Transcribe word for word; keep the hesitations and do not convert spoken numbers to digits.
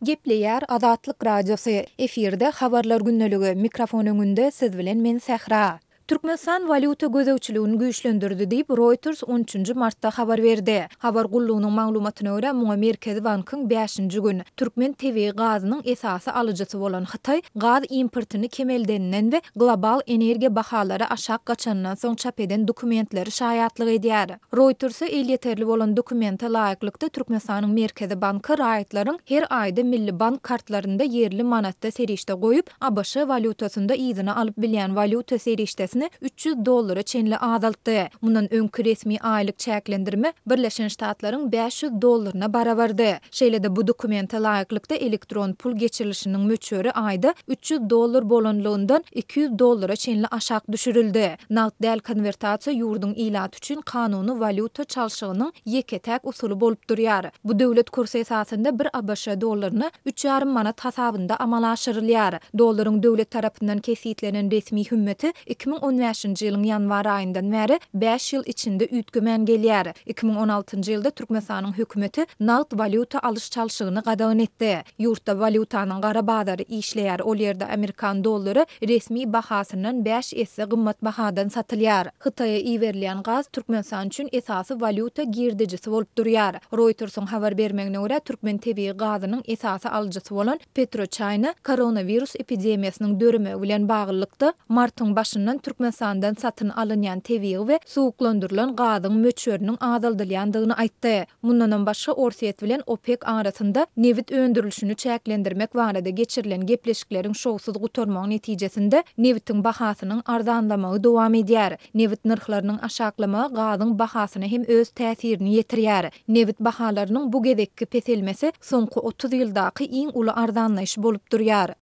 Gepleýär Azatlyk Radiosy, efirde Habarlar gündeligi, mikrofon öňünde siz bilen men Sähra. Türkmenistan walýuta gözegçiligini güýçlendirdi diýip, Reuters on üçünji martda habar berdi. Habar gullugynyň maglumatyna görä, muňa Merkezi bankyň bäşinji gün türkmen tebigy gazynyň esasy alyjysy bolan Hytaý gaz importyny kemeldeninden we global energiýa bahalary aşak gaçanyndan soň çap eden dokumentleri şaýatlyk edýär. Reuters-e elýeterli bolan dokumente laýyklykda, Türkmenistanyň Merkezi banky raýatlaryň her aýda milli bank kartlarynda ýerli manatda serişde goýup, A B Ş walýutasynda yzyna alyp bilýän walýuta serişdesini üç ýüz dollara çenli azaltdy. Mundan öňki resmi aýlyk çäklendirme Birleşen Ştatlaryň bäş ýüz dollaryna barabardy. Şeýle-de bu dokumente laýyklykda elektron pul geçirilişiniň möçberi aýda üç ýüz dollar bolanlygyndan iki ýüz dollara çenli aşak düşürildi. Nagt däl konwertasiýa ýurduň ilaty üçin kanuny walýuta çalşygynyň ýeke-täk usuly bolup durýar. Bu döwlet kursy esasynda bir A B Ş dollaryna üç ýarym manat hasabynda amala aşyrylýar. Dollaryň döwlet tarapyndan kesgitlenen resmi hümmeti iki müň on bäşinji ýylyň ýanwar aýyndan bäri bäş ýyl içinde üýtgemän gelýär. Iki müň on altynjy ýylda Türkmenistanyň hökümeti nagt walýuta alyş-çalşygyny gadagan etdi. Ýurtda walýutanyň gara bazary işleýär, ol ýerde amerikan dollary resmi bahasyndan bäş esse gymmat bahadan satylýar. Hytaýa iberilýän gaz Türkmenistan üçin esasy walýuta girdejisi bolup durýar. Reutersiň habar bermegine görä, türkmen tebigy gazynyň esasy alyjysy bolan PetroChina koronawirus epidemiýasynyň döremegi bilen baglylykda martyň başyndan Türkmenistandan satyn alynýan tebigy we suwuklandyrylan gazyň möçberiniň azaldylýandygyny aýtdy. Mundanam başga Orsýet bilen OPEK arasynda nebit öndürilişini çäklendirmek barada geçirilen gepleşikleriň şowsuz gutarmagy netijesinde nebitiň bahasynyň arzanlamagy dowam edýär. Nebit nyrhlarynyň aşaklamagy gazyň bahasyna hem öz täsirini ýetirýär. Nebit bahalarynyň bu gezekki peselmesi soňky otuz ýyldaky iň uly arzanlaýyş bolup durýar.